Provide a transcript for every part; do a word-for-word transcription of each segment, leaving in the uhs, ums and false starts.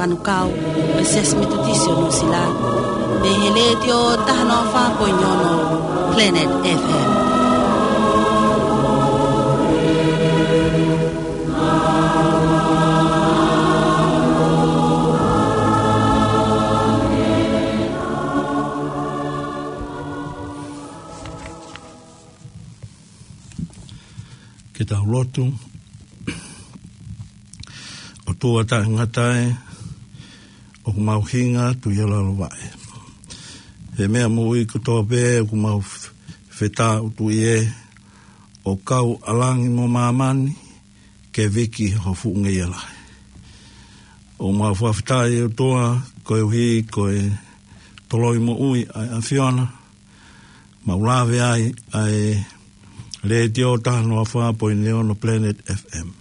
Manukau, ʻo e Siasi Metotisi ʻo Nuʻusila, mei he Letiō taha noa fā poini ono Planet F M. Ke tau lotu. ʻOtua taʻengata ē, ʻoku mau hinga atu ʻi ho lalo vaʻe. He meʻa moʻui kotoa pē ʻoku mau f-, fetāʻutuʻi ē, ʻo kau ʻa langi mo māmani, ke viki ho fuʻu ngeia lahi. ʻOku mau fakafetaʻi ʻOtua, koeʻuhi ko e toloi moʻui ʻa e ʻAfiona, mau lave ai ʻa e Letiō taha noa fā poini ono Planet F M.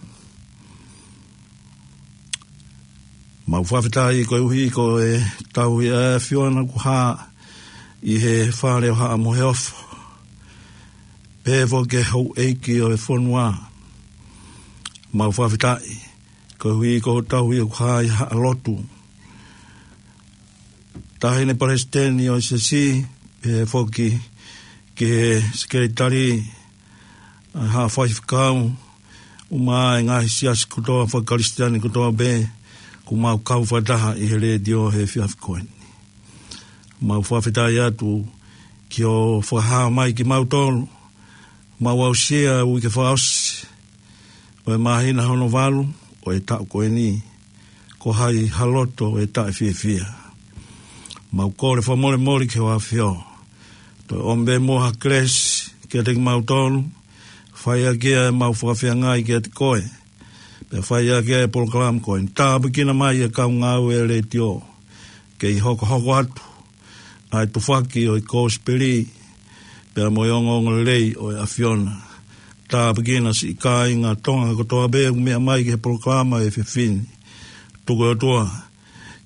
Mau fakafetaʻi koeʻuhi ko e tauhi ʻa e ʻAfiona kuo hā ʻi he fale ʻo Haʻa Moheofo. Pehē foki ki he houʻeiki ʻo e fonua. Mau fakafetaʻi koeʻuhi ko e tauhi ʻoku hā ʻi Haʻa Lotu. Taʻahine Palesiteni ʻo e Siasi, pehē foki ki he Sekelitali, ʻa e Haʻa Faifekau, ʻumaʻā e ngaahi siasi kotoa faka-Kalisitiane kotoa pē, ʻoku mau kau fakataha ʻi he Letiō he efiafi ko eni. Mau fakafetaʻi atu ki hoʻo fakahā mai kimautolu, mau aʻusia e uike fakaʻosi ʻo e māhina hono valu ʻo e taʻu ko eni, ko hai ha loto ʻe taʻefiefia. Mau kole fakamolemole ki ho ʻAfio, toe ʻomi pē muʻa ha kelesi kiate kimautolu, fai ʻaki ʻemau fakafeangai kiate koe, pea fai ʻaki e polokalama ko eni. Tāpuekina mai e kau ngāue ʻa e Letiō, kei hokohoko atu ʻa e tufaki ʻo e kosipeli, pea mo e ongoongolelei ʻo e ʻAfiona. Tāpuekina siʻi kāinga Tonga kotoa pē ʻoku meʻa mai ki he polokalama he efiafi ni. Tuku ʻOtua,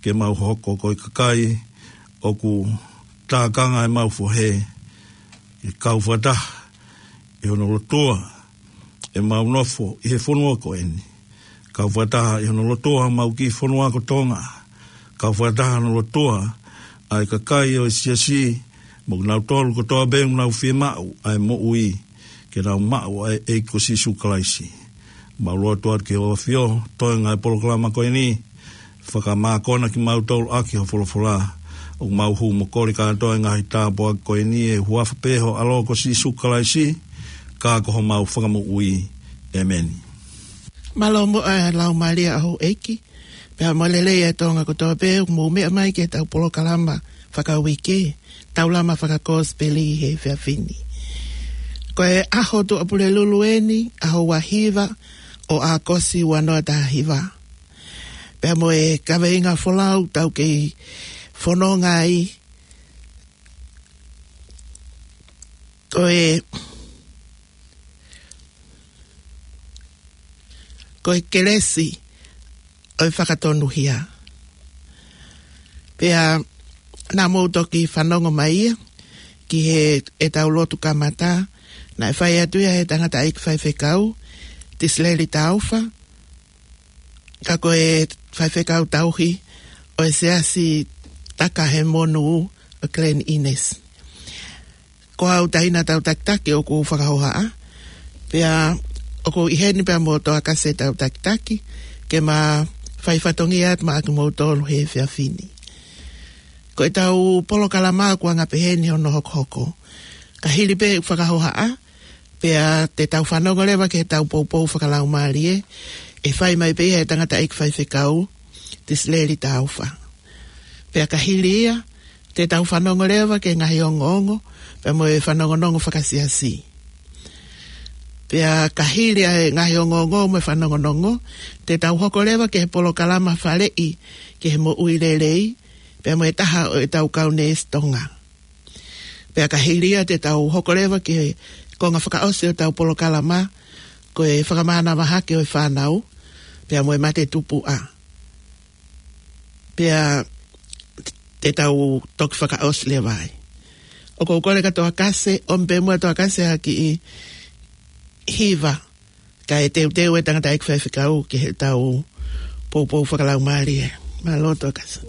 ke mau hoko ko e kakai ʻoku tākanga ʻemau fohe, ke kau fakataha ʻi hono lotua ʻemau nofo ʻi he fonua ko eni. Kau fakataha ʻi hono lotua homau kiʻi fonua ko Tonga. Kau fakataha hono lotua ʻa e kakai ʻo e Siasi, mo kinautolu kotoa pē ʻoku nau fiemaʻu ʻa e moʻui, ke nau maʻu ʻa e ʻEiki ko Sīsū Kalaisi. Mau lotu atu ki ho ʻAfio, toenga e polokalama ko eni, fakamākona kimautolu ʻaki ho folofola, ʻoku mau hū mo kole kātoa e ngaahi tāpuaki ko eni ʻi he huafa pē ho ʻAlo ko Sīsū Kalaisi, ka ko homau Fakamoʻui. ʻĒmeni. Mālō muʻa e Laumālie ʻa houʻeiki, pea mo e lelei ʻa e Tonga kotoa pē ʻoku mou meʻa mai ki heʻetau polokalama fakauike, Taulama Fakakosipeli he efiafi ni. Ko e ʻaho Tuʻapulelulu eni, ʻaho ua hiva ʻo ʻAokosi ua noa taha hiva. Pea mo e kaveinga folau ʻoku tau kei fononga ai, ko e, ko e kelesi ʻo e fakatonuhia. Pea naʻa mou toki fanongo mai ia ki heʻetau lotu kamata, naʻe fai atu ia ʻe he tangataʻeiki faifekau, Tisileli Taufa, ka ko e faifekau tauhi ʻo e Siasi Takahemonu ʻo Glen Innes. Ko au taʻahine tau takitaki ʻoku ou fakahohaʻa. Pea ʻoku ou ʻi heni pea mo Toakase tau takitaki, ke ma fai fatongia atu maʻa kimoutolu he efiafi ni. Ko ʻetau polokalama ʻoku anga peheni hono hokohoko. Ka hili pē ʻeku fakahohaʻa, pea te tau fanongo leva ki heʻetau poupou fakalaumālie, ʻe fai mai pē ia ʻe he tangataʻeiki faifekau, Tisileli Taufa. Pea ka hili ia, te tau fanongo leva ki he ngaahi ongoongo, pea mo e fanongonongo fakasiasi. Pea ka hili ʻa e ngaahi ongoongo mo e fanongonongo, te tau hoko leva ki he polokalama faleʻi ki he moʻui lelei, pea mo e taha ʻo ʻetau kau neesi Tonga. Pea ka hili ia te tau hoko leva ki he konga fakaʻosi ʻo ʻetau polokalama, ko e fakamānava hake ʻo e fānau, pea mo e mate tupuʻa. Pea te tau toki fakaʻosi leva ai. ʻOku ou kole kia Toakase, ʻomi pē muʻa Toakase ha kiʻi hiva, kae teuteu e tangataʻeiki faifekau ki heʻetau poupou fakalaumālie. Mālō Toketā.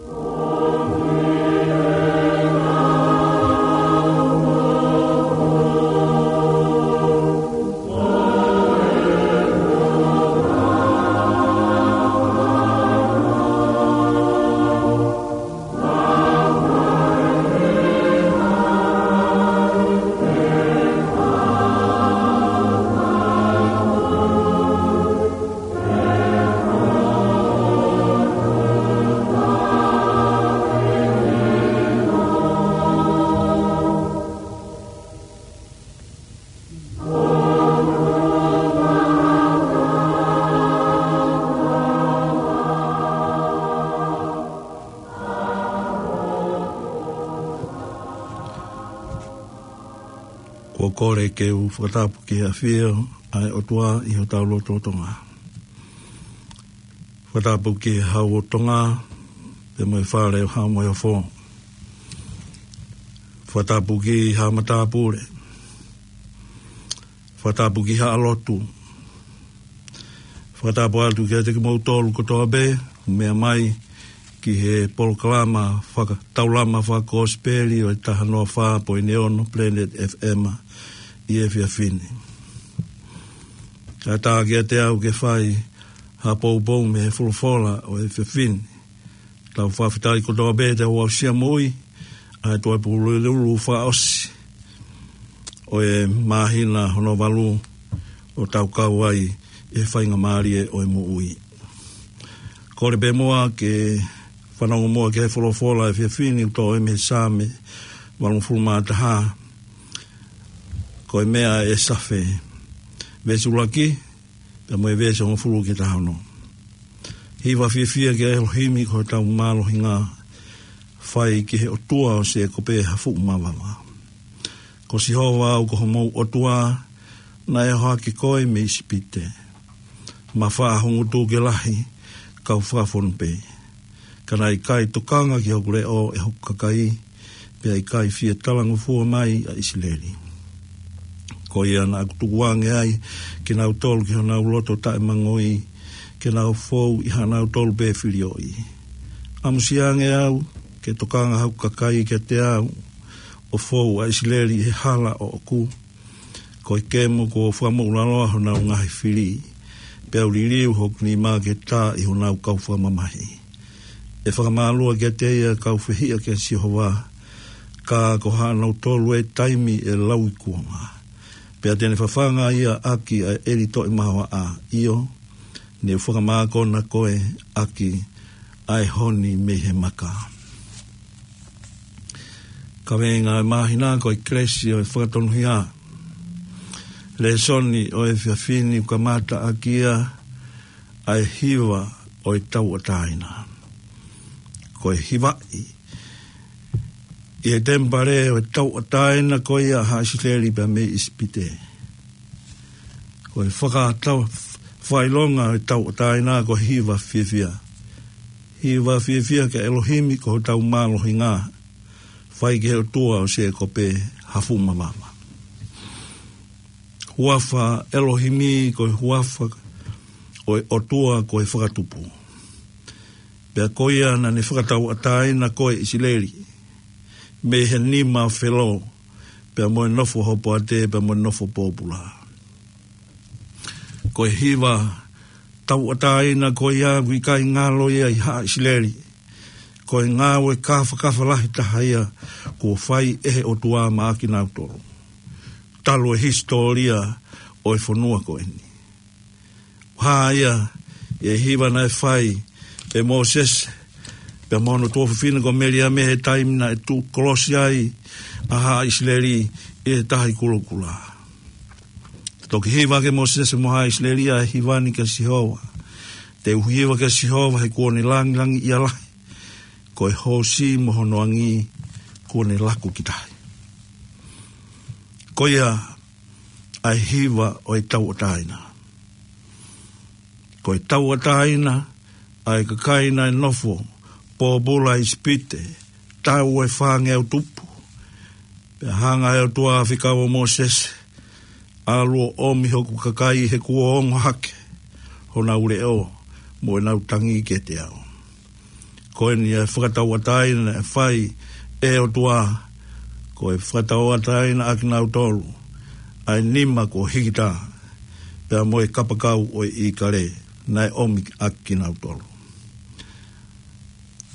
Kuo kole ke u fakatapu ki he ʻafio ʻa e ʻOtua ʻi hotau lotolotonga. Fakatapu ki he Hau ʻo Tonga, pea mo e Fale ʻo Haʻa Moheofo. Fakatapu ki Haʻa Matāpule. Fakatapu ki Haʻa Lotu. Fakatapu atu kiate kimoutolu kotoa pē, meʻa mai ki he polokalama faka-, taulama fakakosipeli ʻo e taha noa fā poini ono Planet F M ʻi he efiafi ni. Kātaki kiate au ke fai ha poupou mei he folofola ʻo e efiafi ni. Tau fakafetaʻi kotoa pē te u aʻusia moʻui ʻa e Tuʻapulelulu fakaʻosi ʻo e māhina hono valu ʻo tau kau ai ʻi he faingamālie ʻo e moʻui. Kole pē muʻa ke fanongo muʻa ki he folofola ʻo e efiafi ni ʻoku toʻo mei he Saame valungofulu mā taha, ko e meʻa ʻe Safe, veesi ʻuluaki, pea mo e veesi hongofulu ki he taha ono. Hiva fiefia kia ʻElohimi ko hotau mālohinga, fai ki he ʻOtua ʻo Sēkope ha fuʻu mavava. Ko Sihova au ko homou ʻOtua, naʻe ʻohake koe mei ʻIsipite, mafaʻa ho ngutu ke lahi, kau fakafonu pē. Ka naʻe ʻikai tokanga ki hoku leʻo ʻe hoku kakai, pea ʻikai fie talangofua mai ʻa ʻIsileli. Ko ia naʻa ku tukuange ai kinautolu ki honau loto taʻemangoi, ke nau fou ʻi haʻanautolu pē filioʻi. ʻAmusiange au ke tokanga hoku kakai kiate au, ʻo fou ʻa ʻIsileli ʻi he hala ʻoʻoku. Ko e kemo kuo fakamoʻulaloa honau ngaahi fili, pea u liliu hoku nima ke tā ʻi honau kau fakamamahi. ʻE fakamālua kiate ia kau fehiʻa kia Sihova, ka ko haʻanautolu ʻe taimi ʻe lauikuonga. Pea te ne fafanga ia ʻaki ʻa e ʻeli toʻe mahoaʻa, ʻio, ne u fakamākona koe ʻaki ʻa e honi mei he maka. Kaveinga ʻo e māhina ko e kelesi ʻo e fakatonuhia. Lēsoni ʻo e efiafi ni ʻoku kamata ʻaki ia ʻa e hiva ʻo e tauʻatāina. Ko e hivaʻi ʻi he temipale ʻo e tauʻatāina ko ia ʻa haʻa ʻIsileli pea mei ʻIsipite. Ko e fakatau-, fakaʻilonga ʻo e tauʻatāina ko e hiva fiefia. Hiva fiefia kia ʻElohimi ko hotau mālohinga, fai ki he ʻOtua ʻo Sēkope ha fuʻu mavava. Huafa ʻElohimi ko e huafa ʻo e ʻOtua ko e Fakatupu. Pea ko ia naʻa ne fakatauʻatāina koe ʻIsileli mei he nima ʻo Felo, pea mo e nofo hopoate, pea mo e nofo pōpula. Ko e hiva tauʻatāina ko ia ʻoku ʻikai ngalo ia ʻi haʻa ʻIsileli. Ko e ngāue kāfakafa lahi taha ia kuo fai ʻe he ʻOtua maʻa kinautolu talu e hisitōlia ʻo e fonua ko eni. Hā ia ʻi he hiva naʻe fai ʻe Mōsese pea mo hono tuofefine ko Meliame he taimi naʻe tuʻu kolosi ai ʻa haʻa ʻIsileli ʻi he Tahi Kulokula. Toki hiva ʻe Mōsese mo haʻa ʻIsileli ʻa e hiva ni kia Sihova: Te u hiva kia Sihova he kuo ne langilangiʻia lahi, ko e hoosi mo hono angi kuo ne laku ki tahi. Ko ia ʻa e hiva ʻo e tauʻatāina. Ko e tauʻatāina ʻa e kakai naʻe nofo pōpula ʻi ʻIsipite, taʻu ʻe fāngeau tupu. Pea hanga ʻe he ʻOtua ʻo fekau ʻa Mōsese: ʻAlu ʻo ʻomi hoku kakai he kuo ongo hake honau leʻo mo ʻenau tangi kiate au. Ko eni ʻa e fakatauʻatāina naʻe fai ʻe he ʻOtua, ko e fakatauʻatāina ʻa kinautolu ʻa e nima kuo hikitā, pea mo e kapakau ʻo e ʻīkale naʻe ʻomi ʻa kinautolu.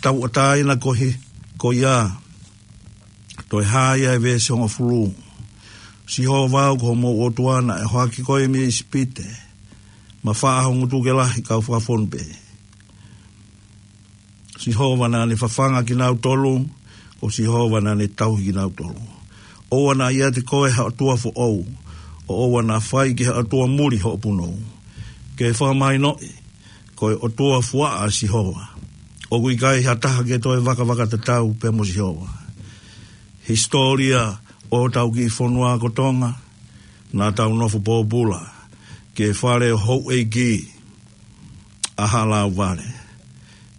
Tauʻatāina ko hi-, ko ia, toe hā ia ʻi he veesi hongofulu. Sihova au ko homou ʻOtua naʻe ʻohake koe mei ʻIsipite, mafaʻa ho ngutu ke lahi kau fakafonu pē. Sihova naʻa ne fafanga kinautolu, ko Sihova naʻa ne tauhi kinautolu. ʻOua naʻa ʻiate koe ha ʻotua foʻou, ʻo ʻoua naʻa fai ki ha ʻotua muli hoʻo punou. Ke fakamahinoʻi, ko e ʻOtua fuaʻa ʻa Sihova. ʻOku ʻikai ha taha ke toe vakavakatatau pea mo Sihova. Hisitōlia ʻo hotau kiʻi fonua ko Tonga, naʻa tau nofo pōpula ki he fale ʻo houʻeiki ʻa Haʻa Lauvale.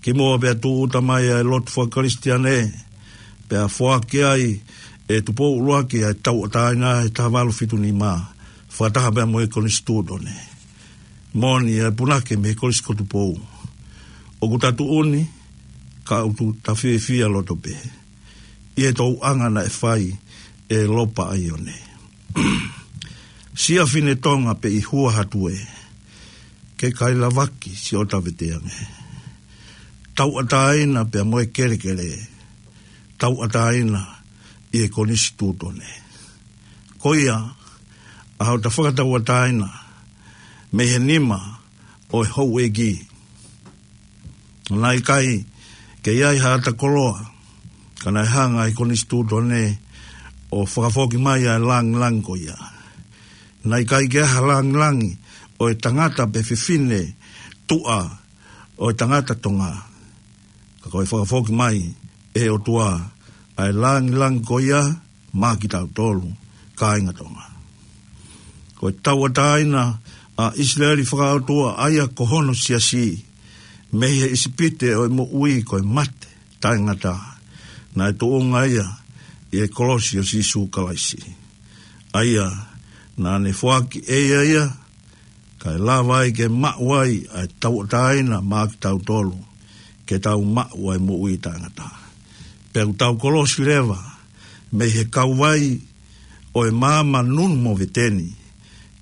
Kimuʻa pea tūʻuta mai ʻa e lotu fakakalisitiane, pea foaki ai ʻe Tupou ʻUluaki ʻa e tauʻatāina he taha valu fitu nima, fakataha pea mo e konisitūtone. Moʻoni ʻa e punake mei he Kolisi ko Tupou. ʻOku ta tuʻu ni, ka ʻoku ta fiefia loto pē ʻi he tauʻanga naʻe fai ʻe Lopa ʻAione. Siʻa fine Tonga pē ʻi hua hatu ē, ke kai lavaki siʻo ta veteange. Tauʻatāina pea mo e kelekele, tauʻatāina ʻi he konisitūtone. Ko ia, ʻa hota fakatauʻatāina mei he nima ʻo e houʻeiki. Naʻe ʻikai ke ʻi ai ha ʻata koloa, ka naʻe hanga ʻe he konisitūtone ʻo fakafoki mai ʻa e langilangi ko ia. Naʻe ʻikai ke ʻi ai ha langilangi ʻo e tangata pe fefine tuʻa ʻo e tangata Tonga. Ka ko e fakafoki mai ʻe he ʻOtua ʻa e langilangi ko ia maʻa kitautolu, kāinga Tonga. Ko e tauʻatāina ʻa ʻIsileli fakaʻotua, ʻa ia ko hono siasi, mei he ʻIsipite ʻo e moʻui ko e mate taʻengata, naʻe tuʻunga ia ʻi he kolosi ʻo Sīsū Kalaisi. ʻA ia naʻa ne foaki ʻe ia ia, kae lava ai ke maʻu ai ʻa e tauʻatāina maʻa kitautolu, ke tau maʻu ʻa e moʻui taʻengata. Pea ʻoku tau kolosi leva mei he kauvai ʻo e maama nunu moveteni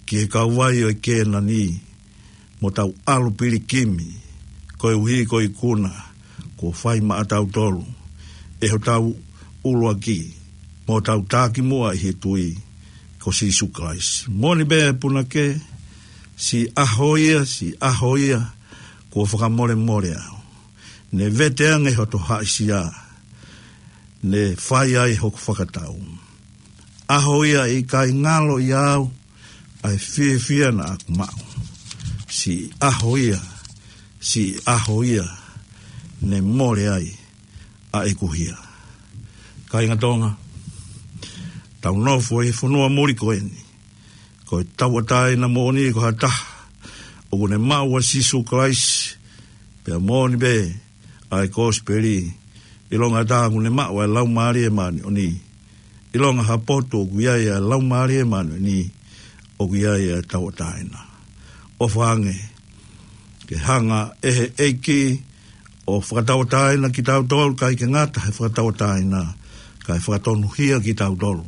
ki he kauvai ʻo e Kēnani, mo tau ʻalu pilikimi, koeʻuhi ko e ikuna kuo fai maʻatautolu ʻe hotau ʻUluaki mo hotau Takimuʻa ʻi he tui, ko Sīsū Kalaisi. Moʻoni pē punake, siʻi ʻaho ia, siʻi ʻaho ia kuo fakamolemole au. Ne vete ange hoto haʻisia, ne fai ai hoku fakatau. ʻAho ia ʻe ʻikai ngalo ʻiate au ʻa e fiefia naʻa ku maʻu. Siʻi ʻaho ia, siʻi ʻaho ia ne mole ai ʻa ʻeku hia. Kāinga Tonga, tau nofo ʻi he fonua muli ko eni, ko e tauʻatāina moʻoni ko ha taha ʻoku ne maʻu ʻa Sīsū Kalaisi, pea moʻoni pē ʻa e kosipeli, ʻilonga ha taha ʻoku ne maʻu ʻa e Laumālie Māʻoniʻoni, ʻilonga ha potu ʻoku ʻi ai ʻa e Laumālie Māʻoniʻoni, ʻoku ʻi ai ʻa e tauʻatāina. ʻOfa ange ke hanga ʻe he ʻEiki ʻo fakatauʻatāina kitautolu, ʻikai ke ngata he fakatauʻatāina, kae fakatonuhia kitautolu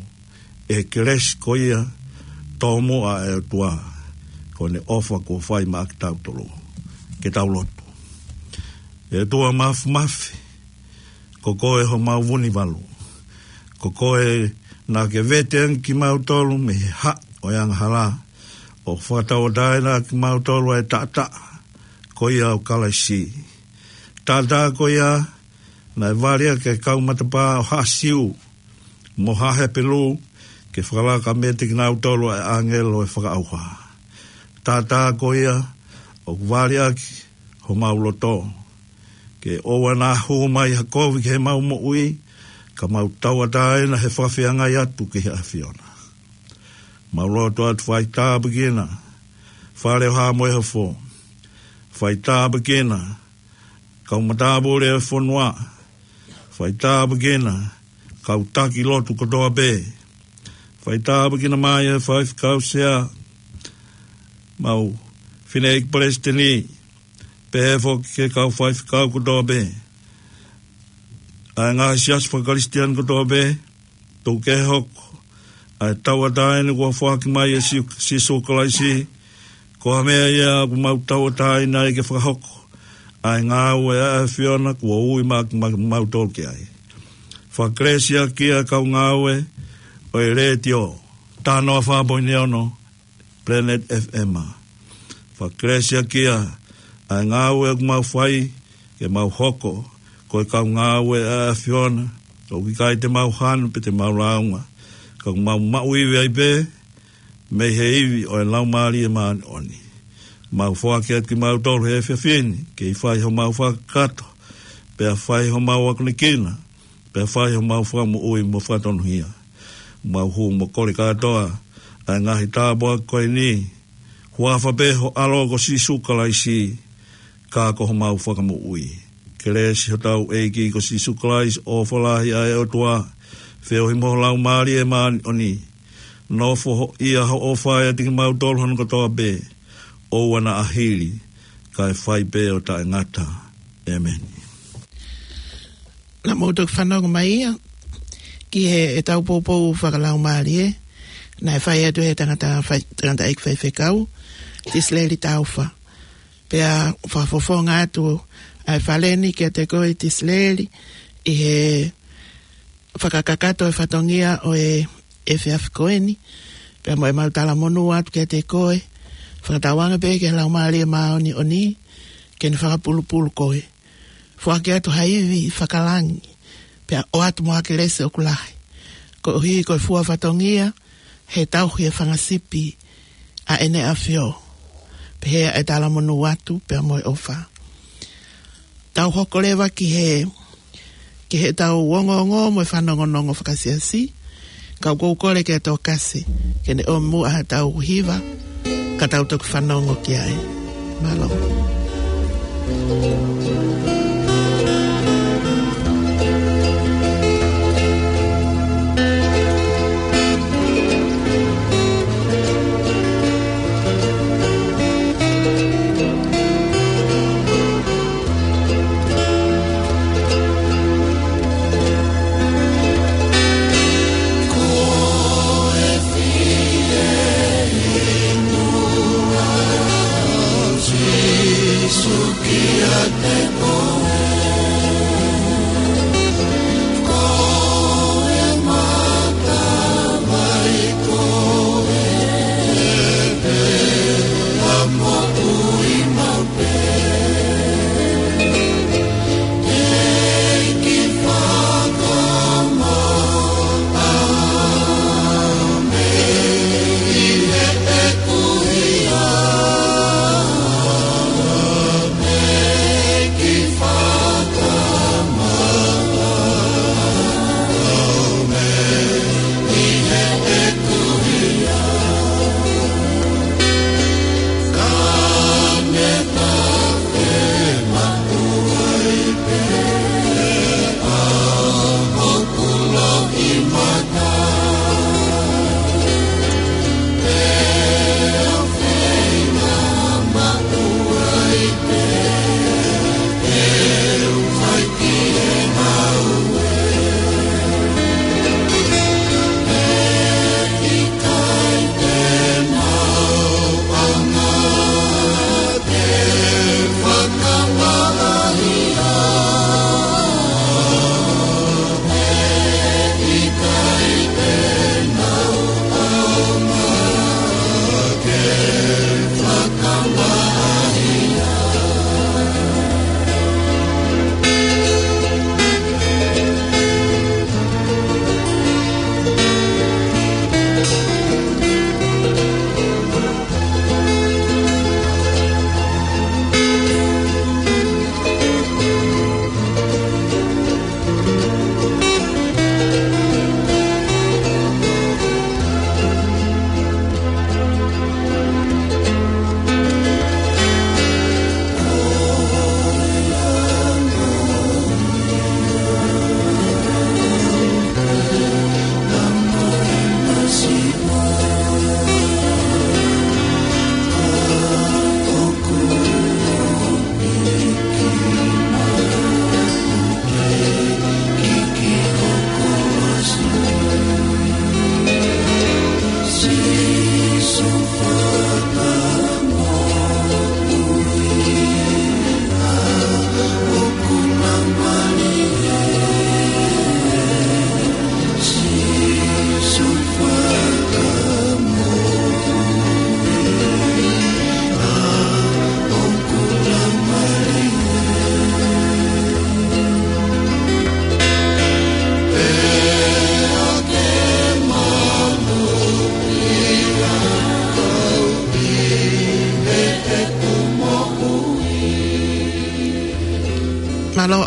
ʻe he kelesi ko ia tōmuʻa ʻa e ʻOtua, ko ʻene ʻofa kuo fai maʻa kitautolu. Ke tau lotu. ʻE ʻOtua Māfimafi, ko koe homau vunivalu. Ko koe naʻa ke vete ange kimautolu mei he haʻi ʻo e angahala, ʻo fakatauʻatāina kimautolu ʻa e taʻataʻa ko ia ʻo Kalaisi. Taʻataʻa ko ia naʻe vali ʻaki ʻa e kau matapā ʻo Haʻa Siu mo Haʻa Hepelū, ke fakalaka meiate kinautolu ʻa e ʻāngelo ʻo e fakaʻauha. Taʻataʻa ko ia ʻoku vali ʻaki homau loto, ke ʻoua naʻa hū mai ha kovi ki heʻemau moʻui, ka mau tauʻatāina he fakafeangai atu ki he ʻAfiona. Mau lotu atu, fai tāpuekina Fale ʻo Haʻa Moheofo. Fai tāpuekina kau matāpule ʻo e fonua. Fai tāpuekina kau taki lotu kotoa pē. Fai tāpuekina mai ʻa e faifekau sea, mau fineʻeiki palesiteni, pehē foki ki he kau faifekau kotoa pē. ʻa e ngaahi siasi fakakalisitiane kotoa pē, tuku ke hoko ʻa e tauʻatāina kuo foaki mai ʻe Sī-, Sīsū Kalaisi, ko ha meʻa ia ʻoku mau tauʻatāina ai ke fakahoko ʻa e ngāue ʻa e ʻAfiona kuo ui mai kimautolu ki ai. Fakakelesiʻaki ʻa e kau ngāue ʻo e letiō, taha noa fā poini ono, Planet F M. Fakakelesiʻaki ʻa e ngāue ʻoku mau fai, ke mau hoko ko e kau ngāue ʻa e ʻAfiona, ʻoku ʻikai te mau hanu pe te mau lāunga, ka ʻoku mau maʻu ivi ai pē mei he ivi ʻo e Laumālie Māʻoniʻoni. Mau foaki atu kimautolu he efiafi ni, ke fai homau fakakakato, pea fai homau akonekina, pea fai homau fakamoʻui mo fakatonuhia. Mau hū mo kole kātoa ʻa e ngaahi tāpuaki ko eni, huafa pē ho ʻAlo ko Sīsū Kalaisi, ka ko homau Fakamoʻui. Kelesi hotau ʻEiki ko Sīsū Kalaisi, ʻofa lahi ʻa e ʻOtua, feohi mo e Laumālie Māʻoniʻoni, nofo ia ʻo ʻofa ʻiate kimautolu hono kotoa pē, ʻoua naʻa hili, kae fai pē ʻo taʻengata. ʻEmeni. Naʻa mou toki fanongo mai ia ki he, ʻetau poupou fakalaumālie naʻe fai atu ʻe he tangata fai-, tangataʻeiki faifekau, Tisileli Taufa. Pea fakafofonga atu ʻa e fale ni kiate koe, Tisileli, ʻi he fakakakato e fatongia ʻo e efiafi ko eni, pea mo ʻemau talamonū atu kiate koe, fakatauange pē ki he Laumālie Māʻoniʻoni ke ne fakapulupulu koe. Foaki atu ha ivi fakalangi, pea ʻoatu mo ha kelesi ʻoku lahi, koeʻuhi ko e fua fatongia he tauhi e fanga sipi ʻa ʻEne ʻAfio. Pehē ʻa e talamonū atu pea mo e ʻofa. Tau hoko leva ki he, ki heʻetau ongoongo mo e fanongonongo fakasiasi, ka ʻoku ou kole ki he tokasi ke ne ʻomi muʻa haʻatau hiva, ka tau toki fanongo ki ai. Mālō.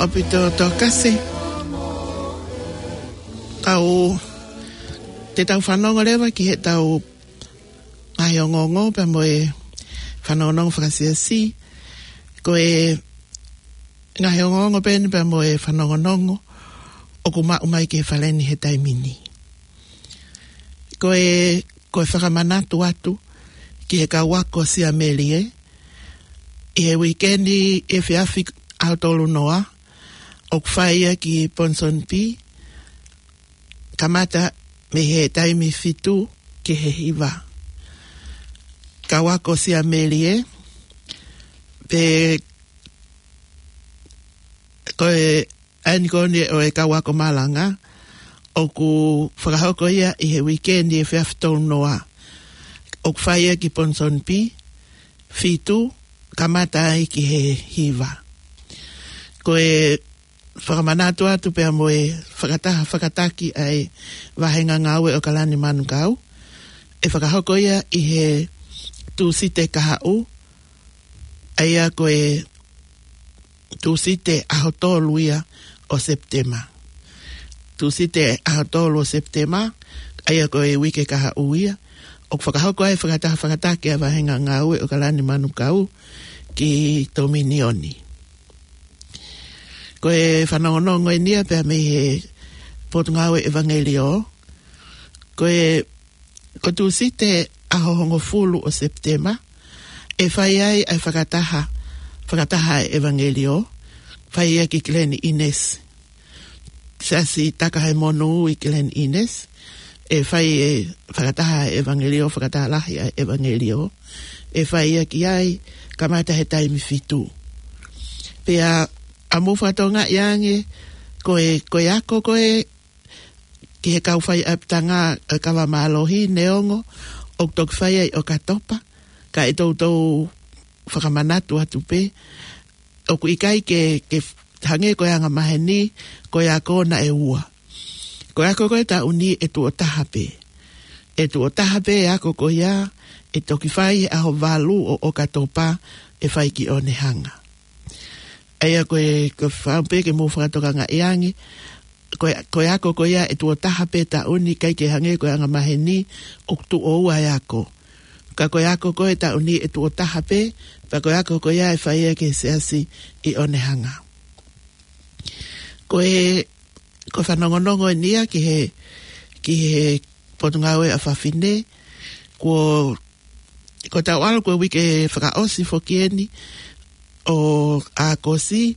Pito Tokase. Tau, te tau fanongo leva ki heʻetau ngaahi ongoongo pea mo e fanongonongo fakasiasi. Ko e ngaahi ongoongo pē eni pea mo e fanongonongo ʻoku maʻu mai ki he fale ni he taimi ni. Ko e, ko e fakamanatu atu ki he kau ako Siamelie, ʻi he uike ni efiafi ʻaho tolu noa, ʻoku fai ia ki Ponsonby, kamata mei he taimi fitu ki he hiva. Kau ako Siamelie, pe ko e ʻaeni ko eni ʻo e kau ako malanga, ʻoku fakahoko ia ʻi he uike ni efiafi tolu noa. ʻOku fai ia ki Ponsonby, fitu, kamata ai ki he hiva. Ko e fakamanatu atu pea mo e fakataha fakataki ʻa e vāhenga ngāue ʻo Kalani Manukau, ʻe fakahoko ia ʻi he Tūsite kahaʻu, ʻa ia ko e Tūsite ʻaho tolu ia ʻo Sepitema. Tūsite ʻaho tolu ʻo Sepitema, ʻa ia ko e uike kahaʻu ia, ʻoku fakahoko ai fakataha fakataki ʻa e vāhenga ngāue ʻo Kalani Manukau ki Tominioni. Ko e fanongonongo eni ia pea mei he Potungāue ʻEvangeliō. Ko e, ko Tūsite ʻaho hongofulu ʻo Sepitema, ʻe fai ai ʻa e fakataha, fakataha ʻa e ʻEvangeliō, fai ia ki Glen Innes. Siasi Takahemonū ʻi Glen Innes, ʻe fai e fakataha ʻa e ʻEvangeliō, fakataha lahi ʻa e ʻEvangeliō, ʻe fai ia ki ai, kamata he taimi fitu. Pea ʻa mou fakatokangaʻi ange, ko e, ko e ako ko ē ki he kau faiʻapitanga ʻa e kava mālohi neongo ʻoku toki fai ai ʻOkatopa, ka ʻe toutou fakamanatu atu pē, ʻoku ʻikai ke, ke hangē ko e angamaheni, ko e ako naʻe ua. Ko e ako ko ē taʻu ni ʻe tuʻo taha pē. ʻE tuʻo taha pē e ako ko ia, ʻe toki fai he ʻaho valu ʻo ʻOkatopa, ʻe fai ki Onehunga. ʻA ia ko e, ko e fau pē ke mou fakatokangaʻi ange, ko e, ko e ako ko ia ʻe tuʻo taha pē taʻu ni, ʻikai ke hangē ko e angamaheni ʻoku tuʻo ua e ako. Ka ko e ako ko ē taʻu ni ʻe tuʻo taha pē, pea ko e ako ko ia ʻe fai ia ki he siasi ʻi Onehunga. Ko e, ko e fanongonongo eni ia ki he, ki he Potungāue ʻa Fafine, ko, ko ʻetau ʻalu ko e uike fakaʻosi foki eni ʻo ʻAokosi,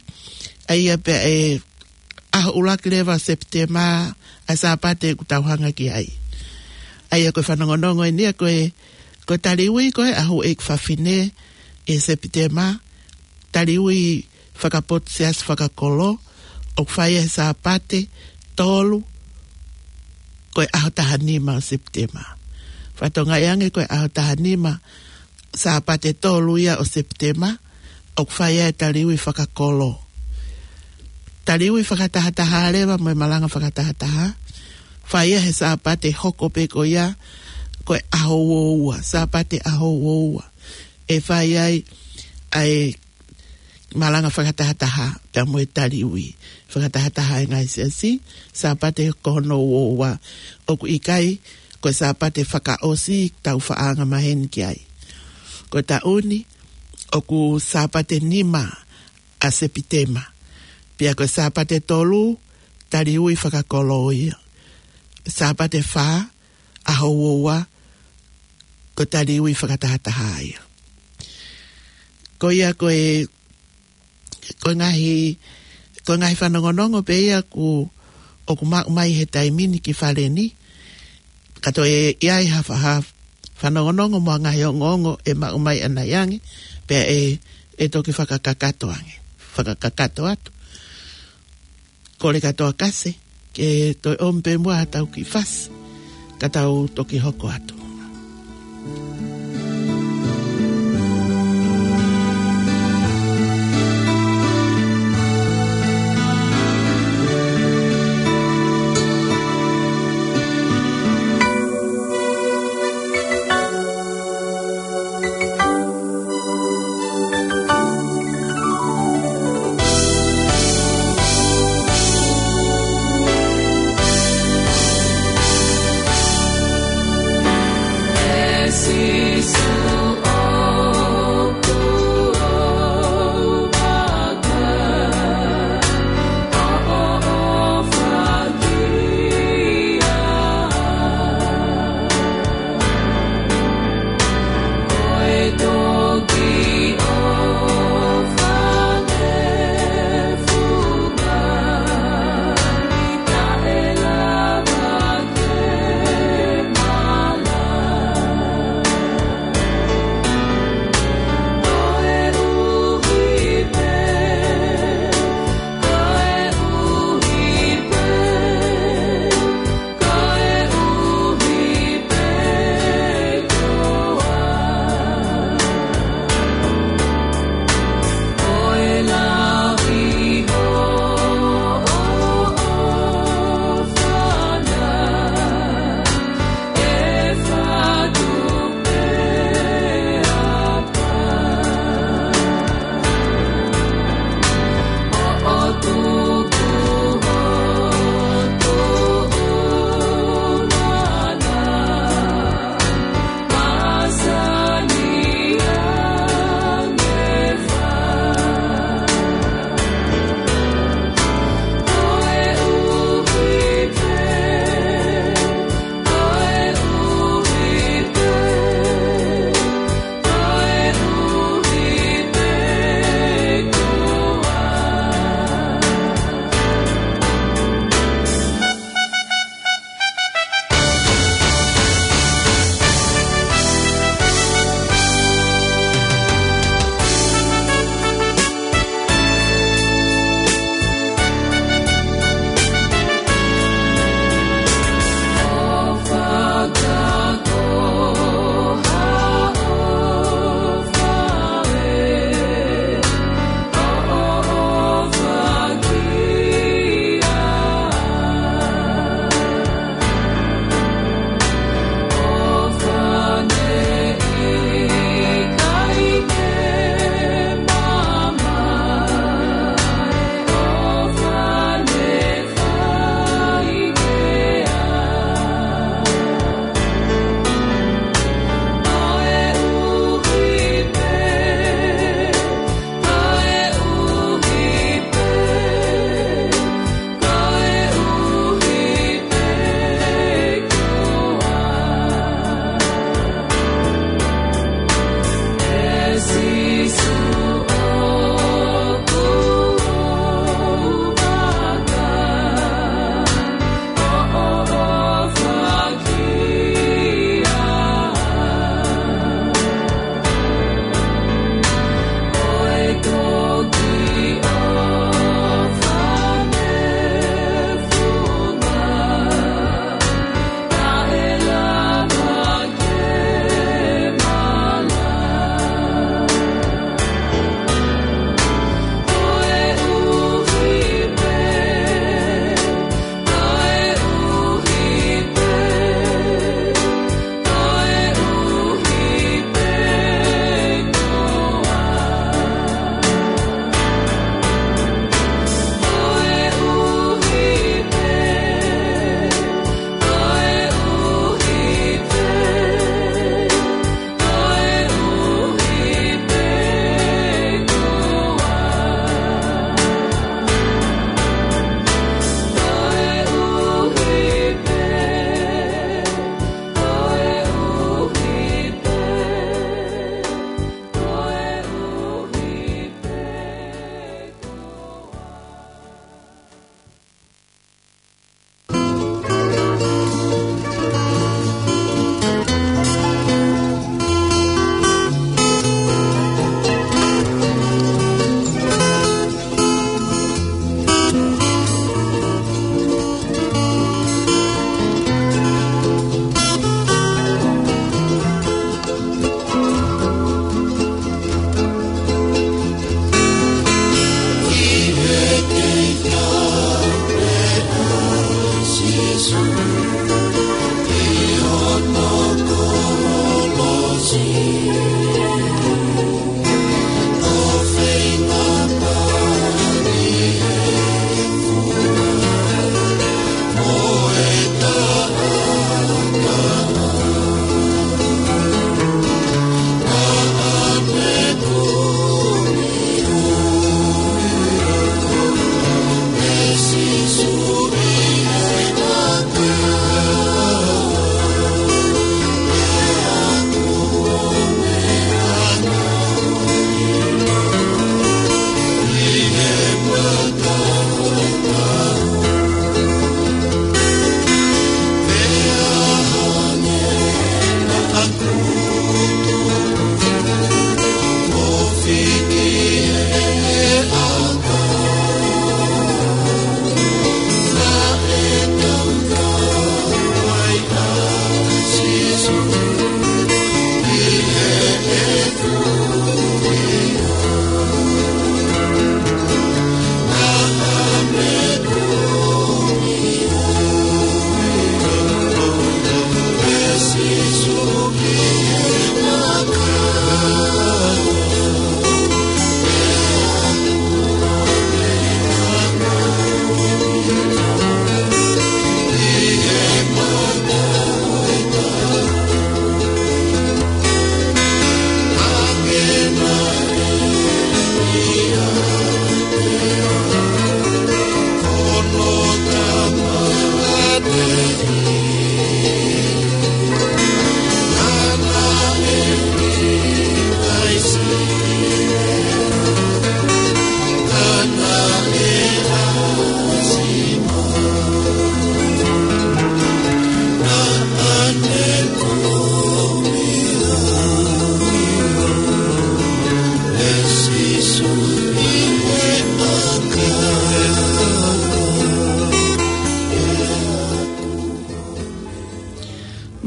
ʻa ia pea ʻe ʻaho ʻuluaki leva Sepitema, ʻa e Sāpate ʻoku tau hanga ki ai. ʻA ia ko e fanongonongo eni ia ko e, ko e taliui ko ē ʻa Houʻeiki Fafine ʻi Sepitema, taliui fakapotu siasi fakakolo, ʻoku fai he Sāpate tolu, ko e ʻaho taha nima ʻo Sepitema. Fakatokangaʻi ange ko e ʻaho taha nima, Sāpate tolu ia ʻo Sepitema, ʻoku fai ai e taliui fakakolo. Taliui fakatahataha leva mo e malanga fakatahataha, fai ia he Sāpate hoko pē ko ia, ko e ʻaho uoua, Sāpate ʻaho uoua. ʻE fai ai ʻa e malanga fakatahataha, pea mo e taliui fakatahataha ʻa e ngaahi siasi, Sāpate ko hono uoua. ʻOku ʻikai ko e Sāpate fakaʻosi ʻoku tau faʻa angamaheni ki ai. Ko e taʻu ni, ʻoku Sāpate nima ʻa Sepitema. Pea ko e Sāpate tolu, taliui fakakolo ia. Sāpate fā, ʻaho uoua, ko e taliui fakatahataha ia. Ko ia ko e, ko e ngaahi, ko e ngaahi fanongonongo pē ia ʻoku, ʻoku maʻu mai he taimi ni ki fale ni. Ka toe ʻi ai ha fa-, ha fanongonongo mo e ngaahi ongoongo ʻe maʻu mai ʻanai ange, pea ʻe, ʻe toki fakakakato ange, fakakakato atu. Kole kātoa Kase ke toe ʻomi pē muʻa haʻatau kiʻi fasi, ka tau toki hoko atu.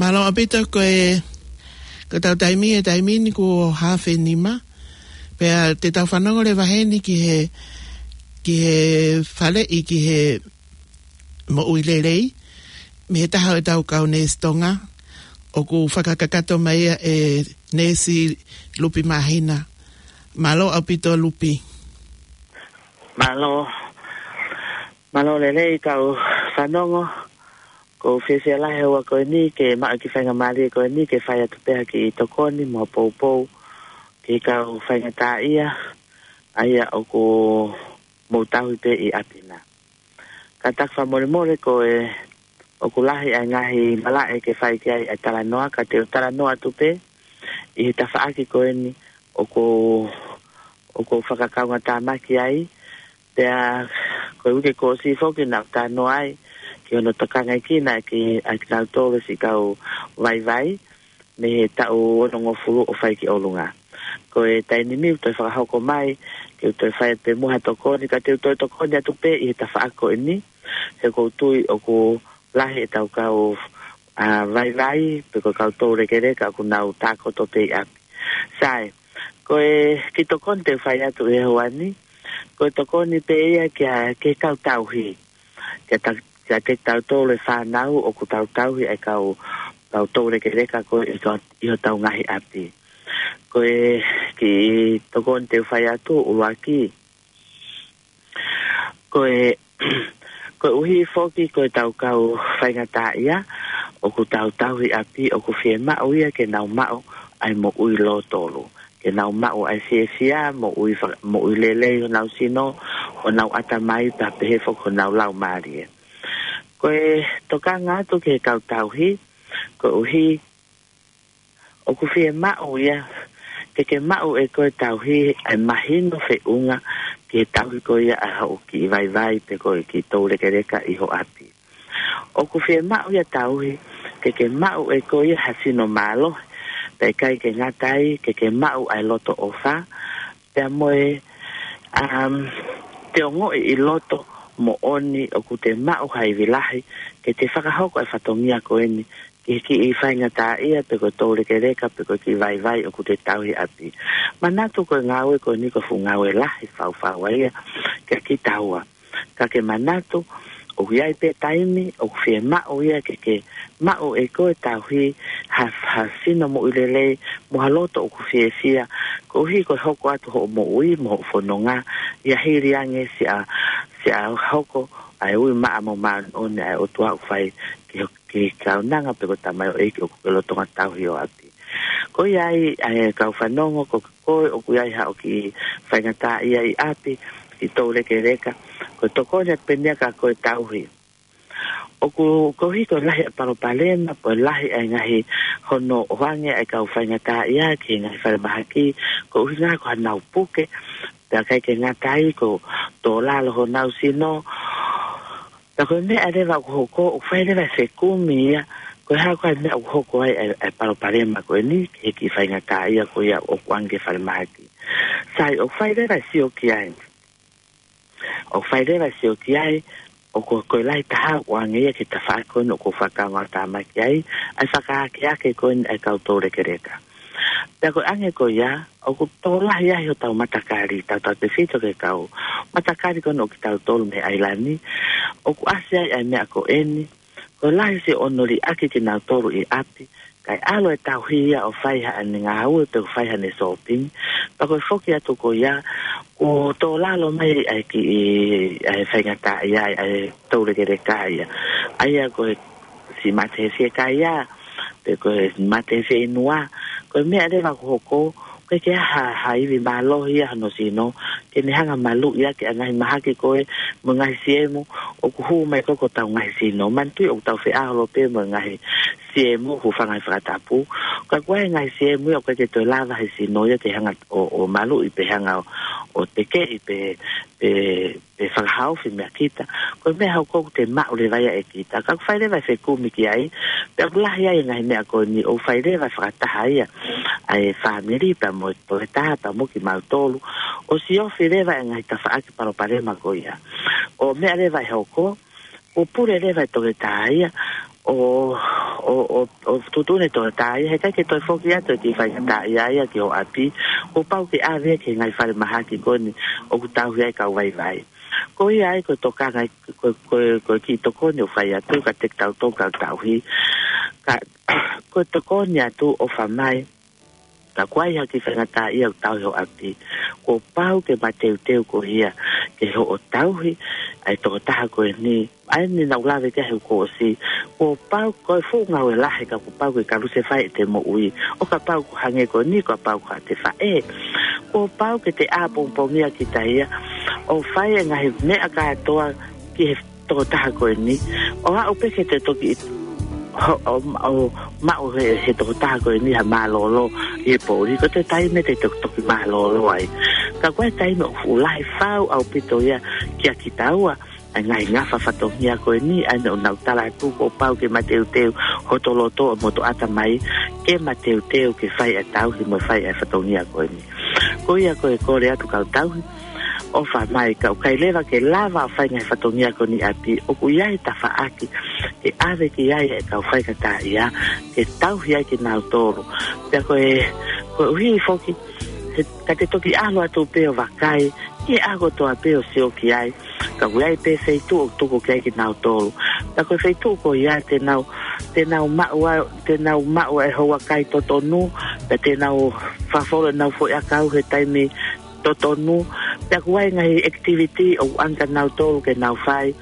Mālō ʻaupito. Ko e, ko ʻetau taimi, e taimi ni kuo haafe nima. Pea te tau fanongo leva heni ki he, ki he faleʻi, ki he moʻui lelei mei he taha ʻo ʻetau kau neesi Tonga, ʻoku fakakakato mai ia ʻe Neesi Lupi Māhina. Mālō ʻaupito, Lupi. Mālō. Mālō lelei kau fanongo. ʻOku ou fiefia lahi he ʻaho ko eni ke maʻu e kiʻi faingamālie ko eni ke fai atu pē ha kiʻi tokoni mo ha poupou ki he kau faingataʻaʻia ʻa ia ʻoku mou tauhi pē ʻi ʻapi na. Kātaki fakamolemole ko e ʻoku lahi ʻa e ngaahi malaʻe ke fai ki ai ʻa e talanoa, ka te u talanoa atu pē ʻi he tafaʻaki ko eni ʻoku, ʻoku ou fakakaungātāmaki ai. Pea ko e uike kuo ʻosi foki naʻa ku talanoa ai ki hono tokangaʻi kinautolu ʻe kinautolu siʻi kau vaivai mei he taʻu onongofulu ʻo fai ki ʻolunga. Ko e taimi ni ʻoku toe fakahoko mai ke u toe fai atu pē muʻa ha tokoni, ka te u toe tokoni atu pē ʻi he tafaʻaki ko eni, he ʻoku ou tui ʻoku lahi ʻetau kau, ā, vaivai, pe ko e kau toulekeleka ʻoku nau tākoto pē ʻi ʻapi. Sai, ko e kiʻi tokoni te u fai atu he ʻaho ni, ko e tokoni pē ia ki he, ki he kau tauhi. Kia ta-, kiate kitautolu e fānau ʻoku tau tauhi ʻa e kau, kau toulekeleka ko ē ʻi ho-, ʻi hotau ngaahi ʻapi. Ko e kiʻi tokoni te u fai atu ʻuluaki. Ko e, koeʻuhi foki ko ʻetau kau faingataʻaʻia ʻoku tau tauhi ʻi ʻapi, ʻoku fiemaʻu ia ke nau maʻu ʻa e moʻui lōtolu. Ke nau maʻu ʻa e fiefia, moʻui fa-, moʻui lelei honau sino, honau ʻatamai, pea pehē foki honau laumālie. Ko e tokanga atu ki he kau tauhi, koeʻuhi ʻoku fiemaʻu ia ke ke maʻu ʻe koe tauhi ʻa e mahino feʻunga ki he tauhi ko ia ʻa hoʻo kiʻi vaivai pe ko e kiʻi toulekeleka ʻi ho ʻapi. ʻOku fiemaʻu ia tauhi ke ke maʻu ʻe koe ia ha sino mālohi, pea ʻikai ke ngata ai ke ke maʻu ʻa e loto ʻofa, pea mo e, um, te ongoʻi ʻi loto moʻoni ʻoku te maʻu ha ivi lahi ke te fakahoko e fatongia ko eni ki he kiʻi faingataʻaʻia pe ko e toulekeleka pe ko e kiʻi vaivai ʻoku te tauhi ʻi ʻapi. Manatu ko e ngāue ko eni ko e fuʻu ngāue lahi faufau ia kia kitaua. Ka ke manatu, ʻOku ʻi ai pē taimi ʻoku fiemaʻu ia ke ke maʻu ʻe koe e tauhi ha, ha sino moʻui lelei mo ha loto ʻoku fiefia, koeʻuhi ko e hoko atu hoʻo moʻui mo hoʻo fononga, ʻi he hili ange siʻa, siʻa hoko ʻa e ui maʻa mo māʻoniʻoni ʻa e ʻOtua ʻoku fai ki, ki he kaunanga pe ko e tamaioʻeiki ʻoku ke lolotonga tauhi ʻi ho ʻapi. Ko ia ai, ʻa e kau fanongo, ko koe ʻoku ʻi ai haʻo kiʻi faingataʻaʻia ʻi ʻapi, kiʻi toulekeleka, ko e tokoni atu pē eni ia kia koe e tauhi. ʻOku, koeʻuhi ko e lahi ʻa e palopalema, ko e lahi ʻa e ngaahi hono ʻoange ʻa e kau faingataʻaʻia ki he ngaahi falemahaki, ko e ʻuhinga ko haʻanau puke, pea ʻikai ke ngata ai ko e tō lalo honau sino. Pea ko e meʻa leva ʻoku hoko, ʻoku fai leva e fekumi ia, ko e hā koā e meʻa ʻoku hoko ai ʻa e, ʻa e palopalema ko eni ki he kiʻi faingataʻaʻia ko ia ʻoku ʻoange ki he falemahaki. Sai, ʻoku fai leva e sio ki ai. ʻOku fai leva e sio ki ai, ʻoku, ko e lahi taha ʻoku ʻoange ia ki he tafaʻaki ko eni ʻoku ou fakaongoongo atu ki ai, ʻa e fakaakeake ko eni ʻa e kau toulekeleka. Pea ko e ʻange ko ia, ʻoku tokolahi ai hotau matakali, tautautefito ki he kau matakali ko eni ʻo kitautolu mei ʻAilani, ʻoku ʻasi ai ʻa e meʻa ko eni, ko e lahi siʻono liʻaki kinautolu ʻi ʻapi, kae ʻalu e tauhi ia ʻo fai haʻane ngāue pe ʻo fai haʻane sōpingi. Pea ko e foki atu ko ia, kuo tō lalo mai ʻa e kiʻi, ʻa e faingataʻaʻia, ʻa e toulekeleka ia. ʻA ia ko e siʻi mate he fiekaia, pe ko e mate he fieinua, ko e meʻa leva ʻoku hoko, ʻoku ʻikai ke ʻi ai ha, ha ivi mālohi ia hono sino, ke ne hanga ʻo maluʻi ʻaki ʻa e ngaahi mahaki ko ē, mo e ngaahi siemu, ʻoku hū mai ko ē ki hotau ngaahi sino. Manatuʻi ʻoku tau feʻao holo pē mo e ngaahi siemu, hūfanga he fakatapu. Ka ko e ngaahi siemu ia ʻoku ʻikai ke toe lava he sino ia ke hanga ʻo, ʻo maluʻi pe hanga ʻo, ʻo tekeʻi pe, pe, pe fakahaofi meʻa kita. Ko e meʻa hoko ʻoku te maʻu leva ia ʻe kita. Ka ʻoku fai leva e fekumi ki ai, pea ʻoku lahi ai e ngaahi meʻa ko eni ʻoku fai leva fakataha ia ʻa e fāmili pea mo e toketā pea mo kimautolu, ʻo siofi leva e ngaahi tafaʻaki palopalema ko ia. ʻO meʻa leva ʻe hoko, ʻo pule leva e toketā ia, ʻo, ʻo, ʻo, ʻo tuʻutuʻuni e toketā ia, heʻikai ke toe foki atu e kiʻi faingataʻaʻia ia ki ho ʻapi, kuo pau ke ʻave ki he ngaahi falemahaki ko eni ʻoku tauhi ai e kau vaivai. Ko ia ai ko e tokanga, ko, ko, ko e kiʻi tokoni ʻoku fai atu kiate kitautolu kau tauhi. Ka, ko e tokoni atu ʻofa mai, ka ʻoku ʻi ai ha kiʻi faingataʻaʻia ʻoku tauhi ho ʻapi, kuo pau ke mateuteu koe ia ke hoʻo tauhi ʻa e tokotaha ko eni. ʻA eni naʻá ku lave ki ai he kuo ʻosi. Kuo pau, ko e fuʻu ngāue lahi ka kuo pau ke kalusefai ʻete moʻui. ʻO kapau ʻoku hangē ko eni, kapau ko haʻate faʻē, kuo pau ke te ʻā pongipongia kita ia ʻo fai e ngaahi meʻa kātoa ki he tokotaha ko eni, ʻo aʻu pē ke te toki ho-, ʻo, ʻo maʻu he, he tokotaha ko eni ha mālōlō ʻi he poʻuli, ko e taimi te to-, toki mālōlō ai. Ka ko e taimi ʻoku fuʻu lahi fau ʻaupito ia kia kitaua, ʻa e ngaahi ngafa fatongia ko eni, ʻa ena ʻoku nau tala atu kuo pau ke mateuteu hoto loto mo hoto ʻatamai, ke mateuteu ke fai ʻa e tauhi mo fai ʻa e fatongia ko eni. Ko ia ko e kole atu kau tauhi, ʻofa mai, ka ʻoku ʻikai leva ke lava ʻo fai e ngaahi fatongia ko eni ʻi ʻapi, ʻoku ʻi ai e tafaʻaki ke ʻave ki ai e kau faingataʻaʻia, ke tauhi ai kinautolu. Pea ko e, koeʻuhi foki, he, ka te toki ʻalu atu pē ʻo vakai, ʻi he ʻaho kotoa pē ʻo sio ki ai, ka ʻoku ʻi ai pē feituʻu ʻoku tuku ki ai kinautolu. Pea ko e feituʻu ko ia te nau, te nau maʻu ai, te nau maʻu ai e houa kai totonu, pea te nau fafolo ʻenau foʻi ʻakau he taimi totonu, pea ʻoku ʻi ai e ngaahi activity ʻoku ʻoange kia nautolu ke nau fai,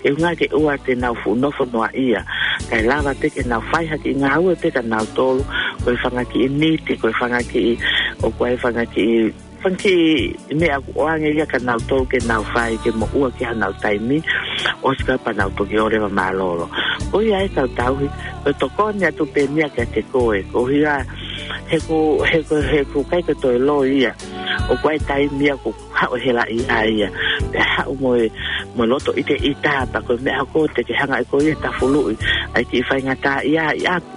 ke ʻuhinga ke ʻoua te nau fuʻu nofo noaʻia. Kae lava pē ke nau fai ha kiʻi ngāue pē kia nautolu, ko e fanga kiʻi niti, ko e fanga kiʻi, ʻoku ʻi ai e fanga kiʻi, fanga kiʻi meʻa ʻoku ʻoange ia kia nautolu ke nau fai, ke moʻua ki ai honau taimi, ʻosi ka pea nau toki ō leva ʻo mālōlō. Ko ia ai kau tauhi, ko e tokoni atu pē eni ia kiate koe, koeʻuhi he ko, he ko, he ko e ʻikai ke toe loi ia. ʻOku ʻi ai e taimi ia ʻoku haʻu e helaʻia ia. Pea haʻu mo e, mo e loto ʻiteʻita, pea ko e meʻa ko ē te ke hanga ʻe koe ia ʻo tafuluʻi ʻa e kiʻi faingataʻaʻia ʻi ʻapi.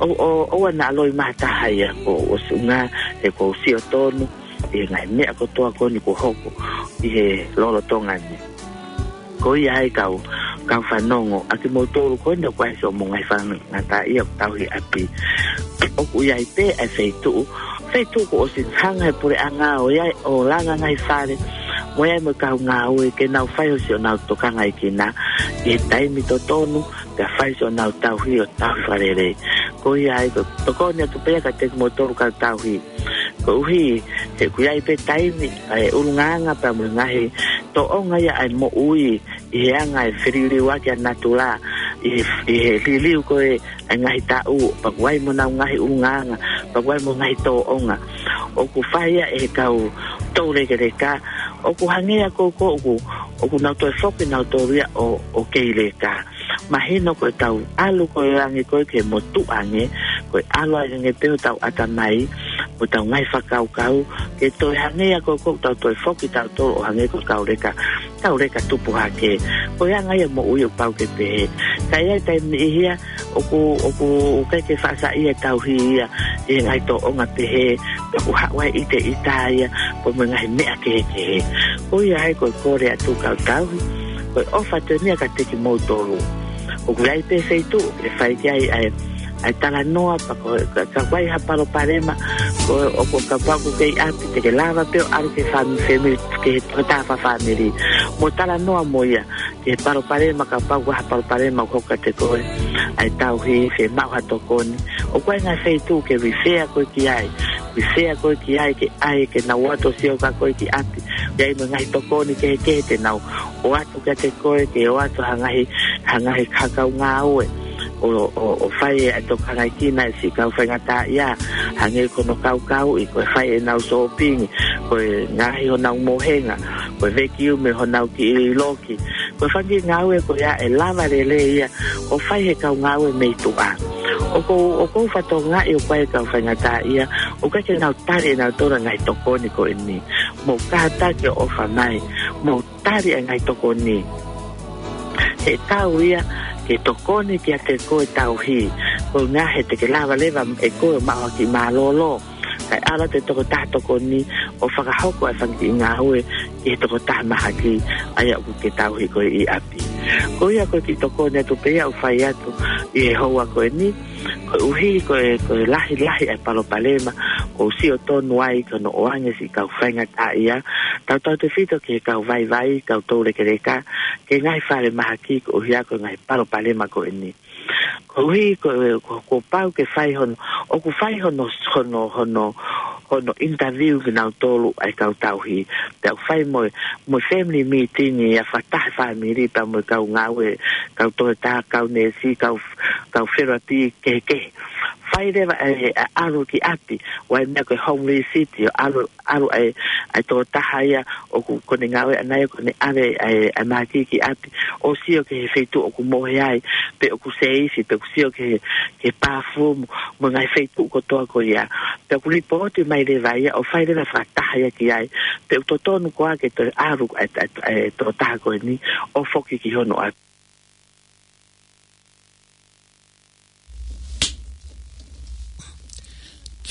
ʻO, ʻo, ʻoua naʻa loi mai ha taha ia, kuo ʻosi ʻuhinga he kuo u sio tonu ʻi he ngaahi meʻa kotoa ko eni kuo hoko ʻi he lolotonga ni. Ko ia ai kau, kau fanongo, ʻa kimoutolu ko eni ʻoku ʻi ai siʻomou ngaahi faingataʻaʻia ʻoku tauhi ʻi ʻapi, ʻoku ʻi ai pē ʻa e feituʻu, feituʻu kuo ʻosi hanga ʻe he puleʻanga ʻo ʻi ai ʻo langa ngaahi fale, mo e ai mo e kau ngāue ke nau fai ʻo siʻonau tokangaʻi kinaua ʻi he taimi totonu, pea fai siʻonau tauhi ʻo tauhi fakalelei. Ko ia ai ko e tokoni atu pē ia kiate kimoutolu kau tauhi. Koeʻuhi, he ʻoku ʻi ai pē taimi, ʻa e ʻulungaanga pea mo e ngaahi tōʻonga ia ʻa e moʻui, ʻi he anga e feliliuaki ʻa natula, ʻi he, ʻi he liliu ko ē ʻa e ngaahi taʻu, pea ʻoku ʻi ai mo honau ngaahi ʻulungaanga, pea ʻoku ʻi ai mo e ngaahi tōʻonga. ʻOku fai ia ʻe he kau toulekeleka, ʻoku hangē ia ko ē ʻoku, ʻoku nau toe foki nautolu ia ʻo, ʻo kei leka. Mahino ko ʻetau ʻalu ko ē ange ko ē ki he motuʻa ange, ko e ʻalu ange pē hotau ʻatamai, mo ʻetau ngaahi fakakaukau, ke toe hangē ia ko ē ʻoku tau toe foki tautolu ʻo hangē ko e kau leka, kau leka tupu hake. Ko e anga ia e moʻui ʻoku pau ke pehē. Ka ʻi ai e taimi ʻe niʻihi ia, ʻoku, ʻoku, ʻoku ʻikai ke faʻa saiʻia e tauhi ia ʻi he ngaahi tōʻonga pehē, pea ʻoku haʻu ai e ʻiteʻita ia, pea mo e ngaahi meʻa kehekehe. Ko ia ai ko e kole atu kau tauhi, ko e ʻofa atu eni ia kiate kimoutolu. ʻOku ʻi ai pē feituʻu ʻe fai ki ai ʻa e, ʻa e talanoa, pea ko e, ka, ka ʻoku ʻi ai ha palopalema, ko e, ʻoku, kapau ʻoku ke ʻi ʻapi, te ke lava pē ʻo ʻalu ki he fam-, family, ki he tokotaha fakafāmili, mo talanoa mo ia ki he palopalema, kapau ʻoku ʻi ai ha palopalema ʻoku hoko kiate koe, ʻa e tauhi, fiemaʻu ha tokoni. ʻOku ʻi ai e ngaahi feituʻu ke refer koe ki ai, refer koe ki ai, ke ʻai ke nau ō atu ʻo sio kia koe ki ʻapi. ʻI ai mo e ngaahi tokoni kehekehe te nau ō atu kiate koe, ke ō atu ha ngaahi, ha ngaahi kau ngāue ʻo, ʻo, ʻo fai e tokangaʻi kinaua e siʻi kau faingataʻaʻia, hangē ko hono kaukauʻi, ko e fai ʻenau sōpingi, ko e ngaohi honau mohenga, ko e vacuum ʻi honau kiʻi loki, ko e fanga kiʻi ngāue ko ia ʻe lava lelei ia ʻo fai ʻe he kau ngāue mei tuʻa. ʻOku ou, ʻoku ou fakatokangaʻi ʻoku ʻi ai e kau faingataʻaʻia ʻoku ʻikai ke nau tali ʻe nautolu e ngaahi tokoni ko eni. Mou kātaki ʻo ʻofa mai, mou tali e ngaahi tokoni. He ʻoku tau ia ke tokoni kiate koe tauhi, koeʻuhi he te ke lava leva ʻe koe ʻo maʻu ha kiʻi mālōlō, kae ʻalu atu e tokotaha tokoni ʻo fakahoko e fanga kiʻi ngāue ki he tokotaha mahaki, ʻa ia ʻoku ke tauhi ko ē ʻi ʻapi. Ko ia ko e kiʻi tokoni atu pē ia ʻoku fai atu ʻi he houa ko eni, koeʻuhi ko e, ko e lahilahi e palopalema ʻoku ou sio tonu ai ki hono ʻoange e siʻi kau faingataʻaʻia, tautautefito ki he kau vaivai, kau toulekeleka, ki he ngaahi falemahaki koeʻuhi ko e ngaahi palopalema ko eni. Koeʻuhi ko, ko, kuo pau ke fai hono, ʻoku fai hono, hono, hono, hono interview kinautolu ʻa e kau tauhi. Pea ʻoku fai mo e, mo e family meeting ia fakataha e fāmili pea mo e kau ngāue, kau tokotaha, kau neesi, kau, kau therapy kehekehe. Fai leva e, e ʻalu ki ʻapi, ʻoku ʻi ai e meʻa ko e home visit, ʻo ʻalu, ʻalu ʻa e, ʻa e tokotaha ia ʻoku, ʻoku ne ngāue ʻanai, ʻoku ne ʻave ʻa e, ʻa e mahaki ki ʻapi, ʻo sio ki he feituʻu ʻoku mohe ai, pe ʻoku safe, pe ʻoku sio ki he, ki he bathroom, mo e ngaahi feituʻu kotoa ko ia. Pea ʻoku lipooti mai leva ia, ʻo fai leva fakataha ia ki ai, pe ʻoku totonu koā ke toe ʻalu ʻa e, ʻa e, ʻa e tokotaha ko eni ʻo foki ki hono ʻapi.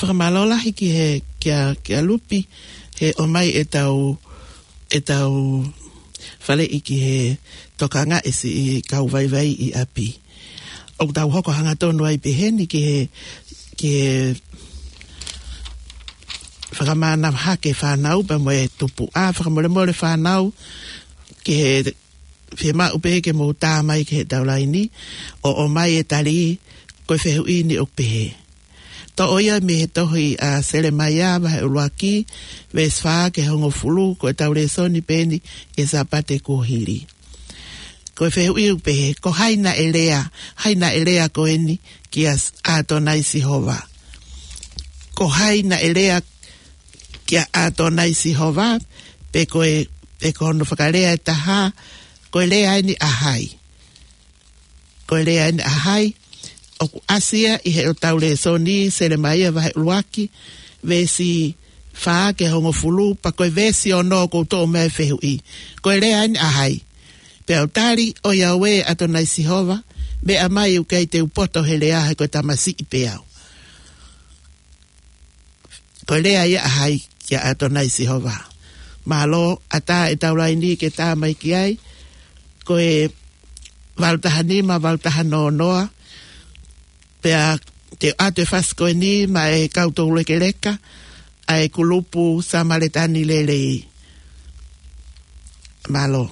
Fakamālō lahi ki he, kia, kia Lupi, he ʻomai ʻetau, ʻetau faleʻi ki he tokangaʻi e siʻi kau vaivai ʻi ʻapi. ʻOku tau hoko hangatonu ai pē heni ki he, ki he fakamānava hake e fānau pea mo e tupuʻa, fakamolemole fānau, ki he fiemaʻu pē ke mou tā mai ki heʻetau laini, ʻo ʻomai e tali ko e fehuʻi ni ʻoku pehē. Toʻo ia mei he tohi ʻa Selemaia vahe ʻuluaki, veesi fā ki he hongofulu, ko ʻetau lēsoni pē eni ki he Sāpate kuo hili. Ko e fehuʻi ʻoku pehē, ko hai naʻe lea, hai naʻe lea ko eni kia S-, ʻAtonai Sihova? Ko hai naʻe lea kia ʻAtonai Sihova, pe ko e, pe ko hono fakalea ʻe taha, ko e lea eni ʻa hai? Ko e lea eni ʻa hai? ʻOku ʻasi ia ʻi heʻetau lēsoni, Selemaia vahe ʻuluaki, veesi fā ki he hongofulu, pea ko e veesi ono ʻoku ou toʻo mai e fehuʻi. Ko e lea eni ʻa hai? Pea u tali, ʻoiauē ʻAtonai Sihova, meʻa mai ʻoku ʻikai te u poto he lea, he ko e tamasiʻi pē au. Ko e lea ia ʻa hai kia ʻAtonai Sihova? Mālō, ʻatā ʻetau laini ke tā mai ki ai, ko e valu taha nima, valu taha noa noa, pea te u ʻoatu e fasi ko eni maʻa e kau toulekeleka ʻa e kulupu Samaletani Lelei. Mālō.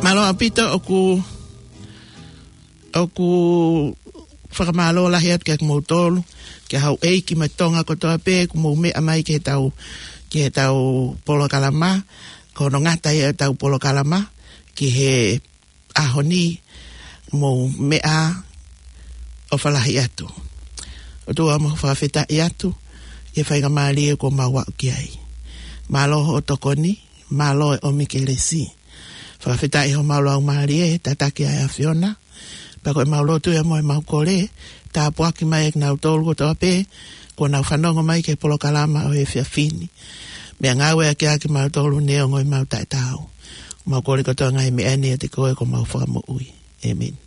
Mālō ʻaupito. ʻOku, ʻoku fakamālō lahi atu kiate kimoutolu, ki he houʻeiki mo e Tonga kotoa pē, kuo mou meʻa mai ki heʻetau, ki heʻetau polokalama, ko hono ngata ia ʻetau polokalama ki he ʻaho ni, mou meʻa ʻofa lahi atu. ʻOtua, mau fakafetaʻi atu ʻi he faingamālie kuo mau aʻu ki ai. Mālō hoʻo tokoni, mālō e ʻomi kelesi. Fakafetaʻi homau laumālie he tataki ʻa e ʻAfiona. Pea ko ʻemau lotu ia mo ʻemau kole, tāpuaki mai ʻa kinautolu kotoa pē kuo nau fanongo mai ki he polokalama ʻo e efiafi ni. Meʻangāueʻaki ʻa kimautolu neongo ʻemau taʻetaau. Mau kole kotoa e ngaahi meʻa ni ʻiate koe ko homau Fakamoʻui. ʻĒmeni.